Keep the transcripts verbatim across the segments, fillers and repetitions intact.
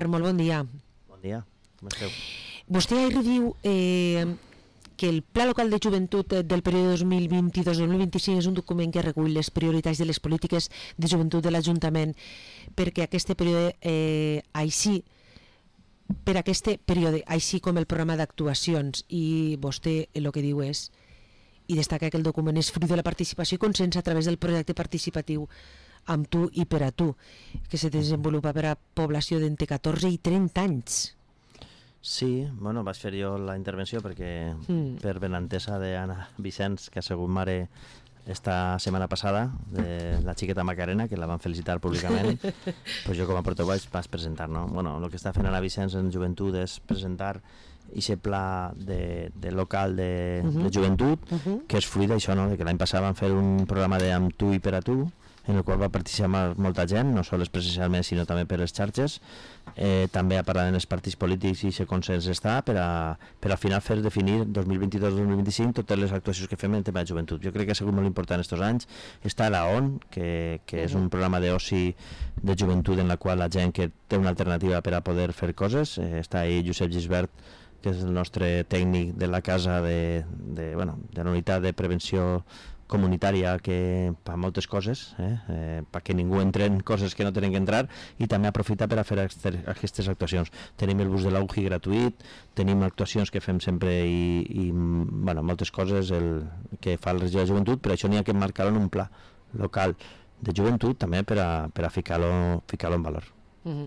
Molt bon dia. Bon dia, com esteu? Vostè ahir diu eh, que el Pla Local de Joventut del període dos mil vint-dos dos mil vint-i-cinc és un document que recull les prioritats de les polítiques de joventut de l'Ajuntament perquè aquest període eh, així per aquest període, així com el programa d'actuacions, i vostè el que diu és i destaca que el document és fruit de la participació i consens a través del projecte participatiu amb tu i per a tu, que se desenvolupa per a població d'entre catorze i trenta anys. Sí, bueno, vaig fer jo la intervenció perquè mm. per benentesa d'Anna Vicenç, que ha sigut mare esta setmana passada, de la xiqueta Macarena, que la van felicitar públicament, pues jo com a portaveu vaig presentar, no? Bueno, el que està fent Anna Vicenç en joventut és presentar aquest pla de, de local de, uh-huh. de joventut, uh-huh. que és fruit d'això, no? De que l'any passat van fer un programa de amb tu i per a tu, en el qual va participar molta gent, no sols presencialment sinó també per les xarxes, eh, també a parlar en els partits polítics i aquest consens està per, a, per al final fer definir dos mil vint-dos dos mil vint-cinc totes les actuacions que fem en tema de joventut. Jo crec que ha sigut molt important aquests anys. Està la O N, que, que és un programa d'oci de joventut en la qual la gent que té una alternativa per a poder fer coses, eh, està ahí Josep Gisbert, que és el nostre tècnic de la casa de, de, bueno, de la unitat de prevenció comunitària, que fa moltes coses, eh? Eh, perquè ningú entre en coses que no tenen que entrar, i també aprofita per a fer aquestes actuacions. Tenim el bus de l'U G I gratuït, tenim actuacions que fem sempre i, i bueno, moltes coses el, que fa el regidor de joventut, però això n'hi ha que marcar-ho en un pla local de joventut també per a, per a ficar-lo ficar-lo en valor. Mm.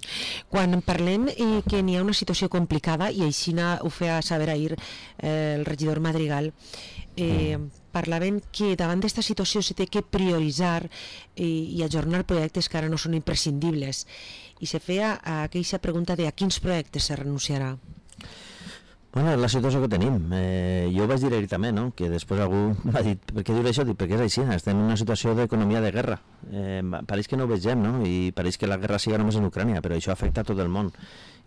Quan parlem eh, que n'hi ha una situació complicada, i així ho feia saber ahir eh, el regidor Madrigal, eh, mm. parlaven que davant d'esta situació se té que prioritzar eh, i ajornar projectes que ara no són imprescindibles, i se feia aquella pregunta de a quins projectes se renunciarà. Bueno, és la situació que tenim. Eh, jo ho vaig dir ahir també, no? Que després algú m'ha dit, per què diu això? Dic, perquè és així, estem en una situació d'economia de guerra. Eh, pareix que no ho vegem, no? I pareix que la guerra siga només en Ucrània, però això afecta a tot el món.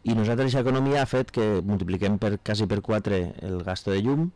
I nosaltres aquesta economia ha fet que multipliquem per quasi per quatre el gasto de llum,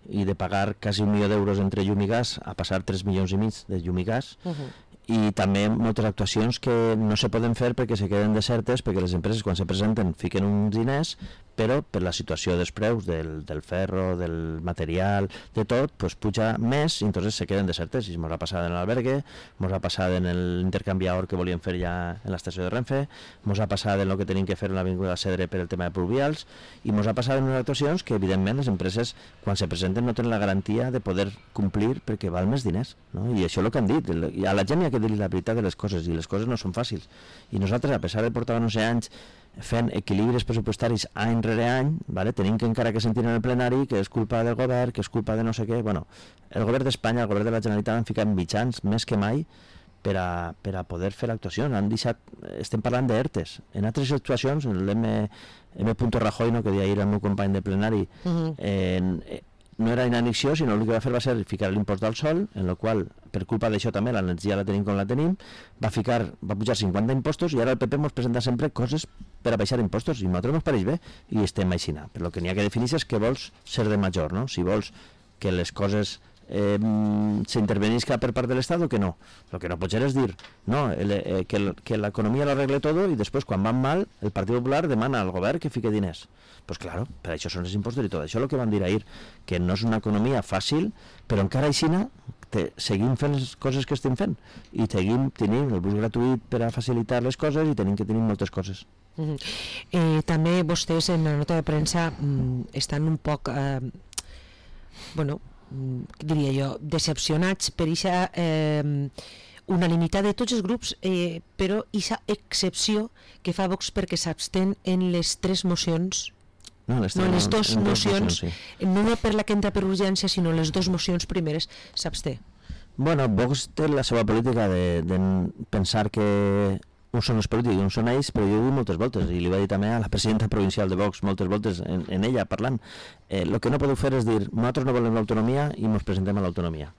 i de pagar quasi un milió d'euros entre llum i gas a passar tres milions i mig de llum i gas, uh-huh. i també moltes actuacions que no se poden fer perquè se queden desertes, perquè les empreses quan se presenten fiquen uns diners, però per la situació dels preus del, del ferro, del material, de tot, pues puja més i entonces se queden desertes. I ens ha passat en l'albergue, ens ha passat en l'intercanviador que volíem fer ja en l'estació de Renfe, ens ha passat en el que tenim que fer en l'avinguda Cedre per el tema de pluvials, i ens ha passat en unes actuacions que evidentment les empreses quan se presenten no tenen la garantia de poder complir perquè val més diners, no? I això és el que han dit. A la gent hi ha que dir-li la veritat de les coses, i les coses no són fàcils. I nosaltres, a pesar de portar onze anys fent equilibris pressupostaris any rere any, vale? Tenim que encara que sentir en el plenari que és culpa del govern, que és culpa de no sé què. Bueno, el govern d'Espanya, el govern de la Generalitat han ficat mitjans més que mai per a, per a poder fer actuacions. Han deixat, estem parlant d'ERTES. En altres actuacions, l'M. Rajoy, no, que deia ahir el meu company de plenari, uh-huh. en, no era inanició, sinó el que va fer va ser ficar l'impost del sol, en el qual, per culpa d'això també, l'energia la tenim com la tenim, va ficar, va pujar cinquanta impostos, i ara el P P ens presenta sempre coses per a baixar impostos, i a nosaltres ens pareix bé, i estem aixina. Però el que n'hi ha que definir és que vols ser de major, no? Si vols que les coses eh, s'intervenisca per part de l'Estat o que no. El que no pot ser és dir no, el, eh, que, el, que l'economia l'arregle tot, i després quan van mal el Partit Popular demana al govern que fique diners. Pues claro, per això són els impostos i tot. Això és el que van dir ahir, que no és una economia fàcil, però encara aixina te, seguim fent les coses que estem fent, i seguim tenint el bus gratuït per a facilitar les coses, i tenim que tenir moltes coses. Uh-huh. eh, també vostès en la nota de premsa mm, estan un poc eh, bueno, diria jo, decepcionats per aquesta eh, unanimitat de tots els grups, eh, però aquesta excepció que fa Vox perquè s'abstén en les tres mocions. No, les, no, les dues mocions, mocions sí. No per la que entra per urgència, sinó les dues mocions primeres s'absté. Bueno, Vox té la seva política de, de pensar que uns són els polítics i uns són ells, però jo ho dic moltes voltes, i li va dir també a la presidenta provincial de Vox moltes voltes en, en ella parlant, eh, el que no podeu fer és dir nosaltres no volem l'autonomia i ens presentem a l'autonomia,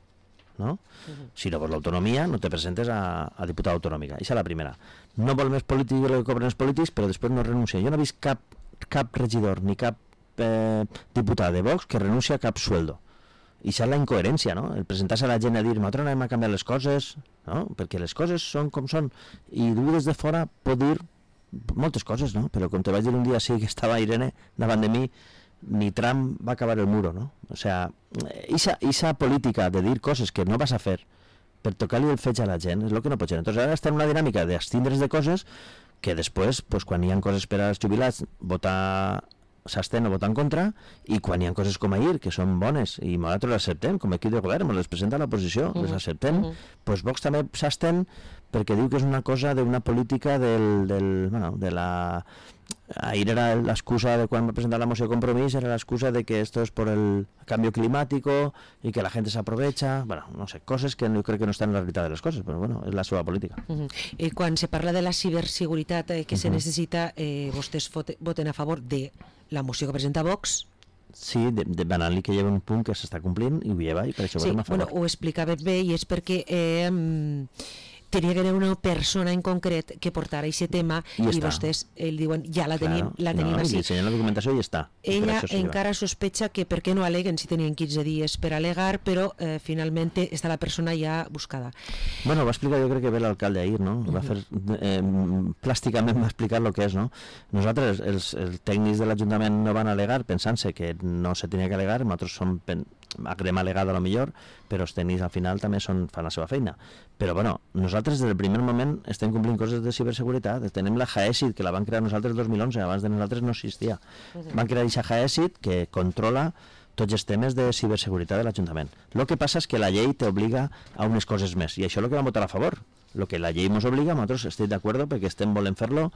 no? Uh-huh. Si no vols l'autonomia no te presentes a, a diputada autonòmica. Això és la primera. No vol més polítics el que cobren els polítics, però després no renuncia. Jo no he vist cap, cap regidor ni cap eh, diputat de Vox que renuncia a cap sueldo. I això és la incoherència, no? El presentar-se a la gent a dir nosaltres anem a canviar les coses, no? Perquè les coses són com són, i tu des de fora pot dir moltes coses, no? Però com te vaig dir un dia sí que estava Irene davant de mi, ni Trump va acabar el muro, no? O sea, esa, esa política de dir coses que no vas a fer per tocar-li el fetge a la gent és el que no pot ser. Entonces ara està en una dinàmica d'abstindre's de coses que després, pues, quan hi ha coses per als jubilats, votar s'estén o votar en contra, i quan hi ha coses com ahir, que són bones, i nosaltres les acceptem, com a equip de govern, les presenta l'oposició, uh-huh. les acceptem, uh-huh. pues Vox també s'estén perquè diu que és una cosa d'una política del, del, bueno, de la... Ahir era l'excusa de quan va presentar la moció de Compromís, era l'excusa de que esto es por el cambio climático y que la gente se aprovecha, bueno, no sé, coses que jo crec que no estan en la realitat de les coses, però bueno, és la seva política. Uh-huh. eh, quan se parla de la ciberseguretat eh, que uh-huh. se necessita, eh, vostès voten a favor de la moció que presenta Vox? Sí, de, de banal·li que lleva un punt que s'està complint i ho lleva, i per això sí, votem a favor. Bueno, ho explicava bé, i és perquè eh, tenia que haver una persona en concret que portara aquest tema i, i vostès el diuen, ja la tenim, claro. la tenim no, així. I ensenyen la documentació i ja està. Ella encara sospecha que per què no aleguen si tenien quinze dies per alegar, però eh, finalment està la persona ja buscada. Bueno, va explicar, jo crec que bé l'alcalde ahir, no? Va fer, eh, plàsticament va explicar el que és, no? Nosaltres, els, els tècnics de l'Ajuntament no van alegar pensant-se que no se tenia que alegar, nosaltres som haguem alegat a lo millor, però els tècnics al final també són, fan la seva feina. Però bueno, nosaltres des del primer moment estem complint coses de ciberseguretat. Tenem la Haesit, que la van crear nosaltres el dos mil onze, abans de nosaltres no existia. Van crear aquesta Haesit que controla tots els temes de ciberseguretat de l'Ajuntament. El que passa és que la llei t'obliga a unes coses més, i això és el que vam votar a favor. El que la llei ens obliga, nosaltres estem d'acord perquè estem volent fer-lo,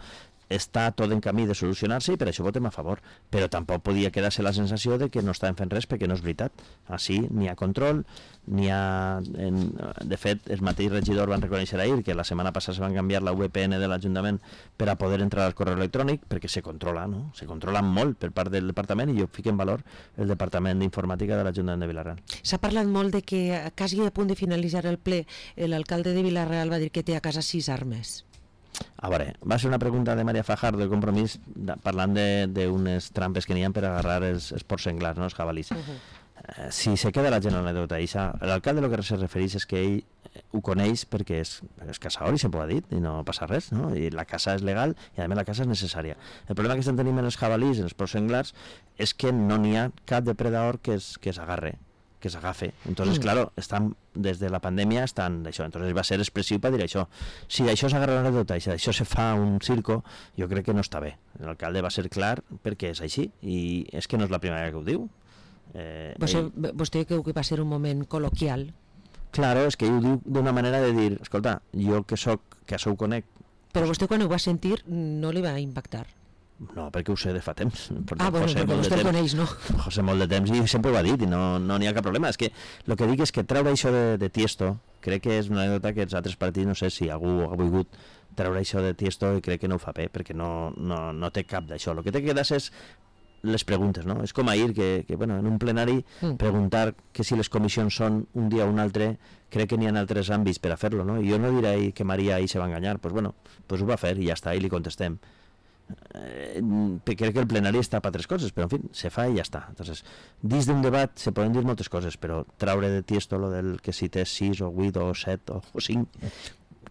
està tot en camí de solucionar-se i per això votem a favor, però tampoc podia quedar-se la sensació de que no estàvem fent res perquè no és veritat. Així n'hi ha control, n'hi ha... En, de fet, el mateix regidor van reconèixer ahir que la setmana passada se van canviar la V P N de l'Ajuntament per a poder entrar al correu electrònic perquè se controla, no? Se controla molt per part del departament, i jo fico en valor el departament d'informàtica de l'Ajuntament de Vila-real. S'ha parlat molt de que quasi a punt de finalitzar el ple l'alcalde de Vila-real va dir que té a casa sis armes. A veure, va ser una pregunta de Maria Fajardo de Compromís de, parlant d'unes trampes que n'hi ha per agarrar els, els porcs senglars, no? Els jabalís. Uh-huh. eh, si se queda la gent en l'anècdota, l'alcalde el que se refereix és que ell ho coneix perquè és, és caçador i sempre ho ha dit i no passa res, no? I la caça és legal i a més la caça és necessària. El problema que estem tenint en els jabalís, en els porcs senglars, és que no n'hi ha cap depredador que s'agarre, que s'agafe. Entonces, mm. claro, estan, des de la pandèmia estan d'això. Entonces va ser expressiu per dir això. Si d'això s'agarra l'anècdota i si d'això se fa un circo, jo crec que no està bé. L'alcalde va ser clar perquè és així, i és que no és la primera que ho diu. Eh, vostè, ell... vostè creu que va ser un moment col·loquial? Claro, és que ell ho diu d'una manera de dir, escolta, jo que soc, que això ho conec... Però vostè quan ho va sentir no li va impactar? No, perquè ho sé de fa temps. Ah, bueno, José perquè vostè el coneix, no? José molt de temps, i sempre ho ha dit, i no n'hi no ha cap problema. És que el que dic és que treure això de, de Tiesto, crec que és una anècdota que els altres partits, no sé si algú ha volgut treure això de Tiesto, i crec que no ho fa bé, perquè no, no, no té cap d'això. El que té que quedar és les preguntes, no? És com ahir, que, que bueno, en un plenari, mm. preguntar que si les comissions són un dia o un altre, crec que n'hi ha altres àmbits per a fer-lo, no? I jo no diré que Maria ahir se va enganyar, doncs pues bueno, pues ho va fer i ja està, i li contestem. Eh, crec que el plenari està per altres coses, però en fi, se fa i ja està. Entonces, dins d'un debat se poden dir moltes coses, però traure de Tiesto lo del que si té sis o vuit o set o cinc,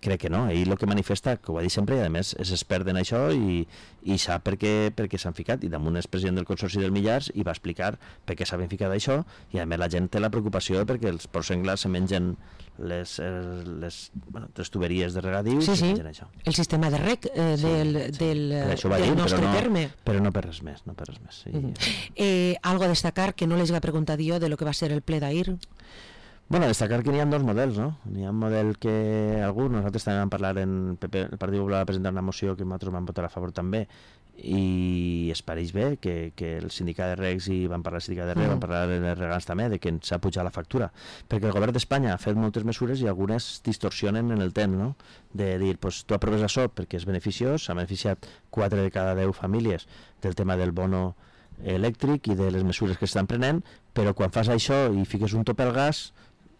crec que no. Ell el que manifesta, que ho ha dit sempre, i a més és expert en això i, i sap per què, per què s'han ficat, i damunt és president del Consorci del Millars i va explicar per què s'han ficat això, i a més la gent té la preocupació perquè els porcs senglars se mengen les, les, bueno, les tuberies de regadiu, sí, sí. Això. El sistema de rec eh, sí, del, sí. del, del dir, nostre però no, terme. Però no per res més, no per res més. Sí. Uh-huh. eh, algo a destacar que no les va preguntar jo de lo que va ser el ple d'ahir? Bueno, destacar que n'hi ha dos models, no? N'hi ha un model que algú, nosaltres també vam parlar en P P, el Partit Popular va presentar una moció que nosaltres vam votar a favor també, i es pareix bé que, que el sindicat de regs, i van parlar del sindicat de regs, mm. van parlar de regants també, de que s'ha pujat la factura, perquè el govern d'Espanya ha fet moltes mesures i algunes distorsionen en el temps, no? De dir, pues, tu aproves això perquè és beneficiós, s'ha beneficiat quatre de cada deu famílies del tema del bono elèctric i de les mesures que s'estan prenent, però quan fas això i fiques un top al gas,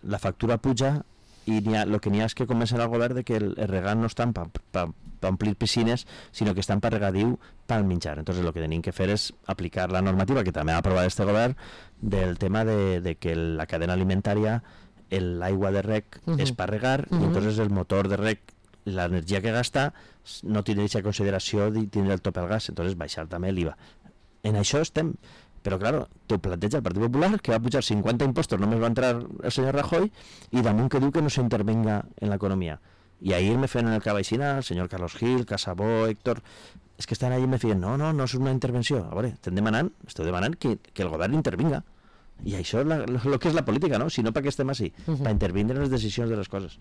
la factura puja, i el que n'hi ha és que començarà el govern de que el, el regant no estan per pa, pa omplir piscines, sinó que estan per regadiu pel menjar. Entonces el que tenim que fer és aplicar la normativa que també ha aprovat este govern del tema de, de que la cadena alimentària, l'aigua de rec uh-huh. és per regar, uh-huh. i entonces el motor de rec l'energia que gasta no tindre aquesta consideració de tindre el tope al gas, entonces baixar també l'I V A. En això estem, però claro, t'ho planteja el Partit Popular, que va pujar cinquanta impostos, només va entrar el senyor Rajoy, i damunt que diu que no s'intervenga en l'economia. I ahir me feien el Cabaixina, el senyor Carlos Gil, Casabó, Héctor, és que estan allà i me feien, no, no, no és una intervenció. A veure, estem demanant, esteu demanant que, que el govern intervinga. I això és la, lo que és la política, no? Si no, per què estem així? Uh -huh. Per intervindre en les decisions de les coses.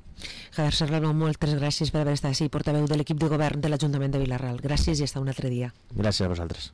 Javier Serrano, moltes gràcies per haver estat així, portaveu de l'equip de govern de l'Ajuntament de Vila-real. Gràcies i hasta un altre dia. Gràcies a vosaltres.